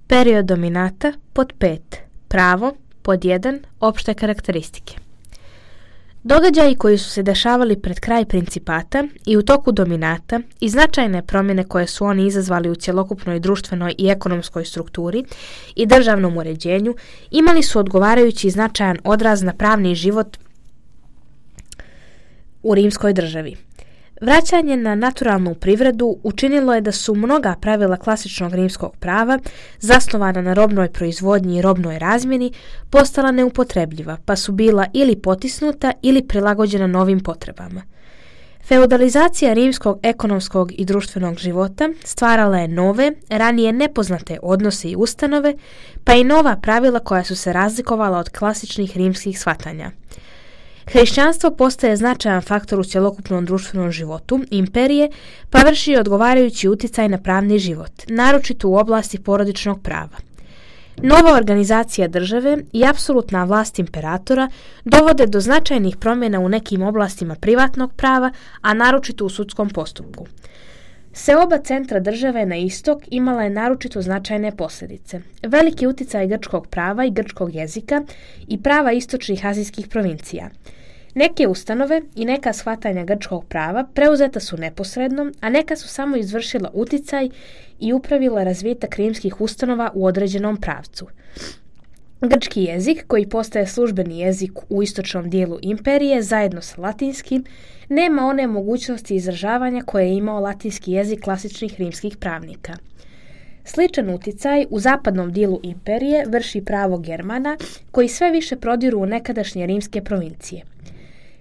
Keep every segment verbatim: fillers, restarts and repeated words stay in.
Period dominata pod pet. Pravo pod jedan. Opšte karakteristike. Događaji koji su se dešavali pred kraj principata i u toku dominata i značajne promjene koje su oni izazvali u cjelokupnoj društvenoj i ekonomskoj strukturi i državnom uređenju imali su odgovarajući značajan odraz na pravni život u rimskoj državi. Vraćanje na naturalnu privredu učinilo je da su mnoga pravila klasičnog rimskog prava, zasnovana na robnoj proizvodnji i robnoj razmjeni, postala neupotrebljiva, pa su bila ili potisnuta ili prilagođena novim potrebama. Feudalizacija rimskog ekonomskog i društvenog života stvarala je nove, ranije nepoznate odnose i ustanove, pa i nova pravila koja su se razlikovala od klasičnih rimskih shvatanja. Hrišćanstvo postaje značajan faktor u cjelokupnom društvenom životu imperije, pa vrši odgovarajući utjecaj na pravni život, naročito u oblasti porodičnog prava. Nova organizacija države i apsolutna vlast imperatora dovode do značajnih promjena u nekim oblastima privatnog prava, a naročito u sudskom postupku. Seoba centra države na istok imala je naročito značajne posljedice. Veliki utjecaj grčkog prava i grčkog jezika i prava istočnih azijskih provincija. Neke ustanove i neka shvatanja grčkog prava preuzeta su neposredno, a neka su samo izvršila utjecaj i upravila razvitak rimskih ustanova u određenom pravcu. Grčki jezik, koji postaje službeni jezik u istočnom dijelu imperije zajedno sa latinskim, nema one mogućnosti izražavanja koje je imao latinski jezik klasičnih rimskih pravnika. Sličan utjecaj u zapadnom dijelu imperije vrši pravo Germana, koji sve više prodiru u nekadašnje rimske provincije.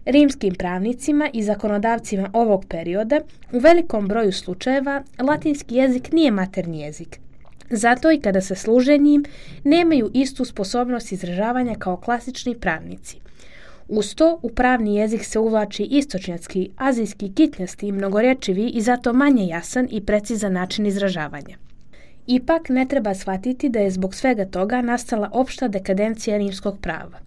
Rimskim pravnicima i zakonodavcima ovog perioda u velikom broju slučajeva latinski jezik nije maternji jezik. Zato i kada se služe njim, nemaju istu sposobnost izražavanja kao klasični pravnici. Uz to, u pravni jezik se uvlači istočnjački, azijski, kitnjasti i mnogorečivi i zato manje jasan i precizan način izražavanja. Ipak ne treba shvatiti da je zbog svega toga nastala opšta dekadencija rimskog prava.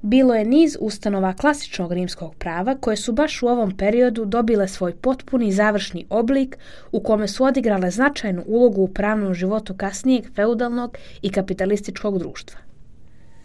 Bilo je niz ustanova klasičnog rimskog prava koje su baš u ovom periodu dobile svoj potpuni završni oblik u kome su odigrale značajnu ulogu u pravnom životu kasnijeg feudalnog i kapitalističkog društva.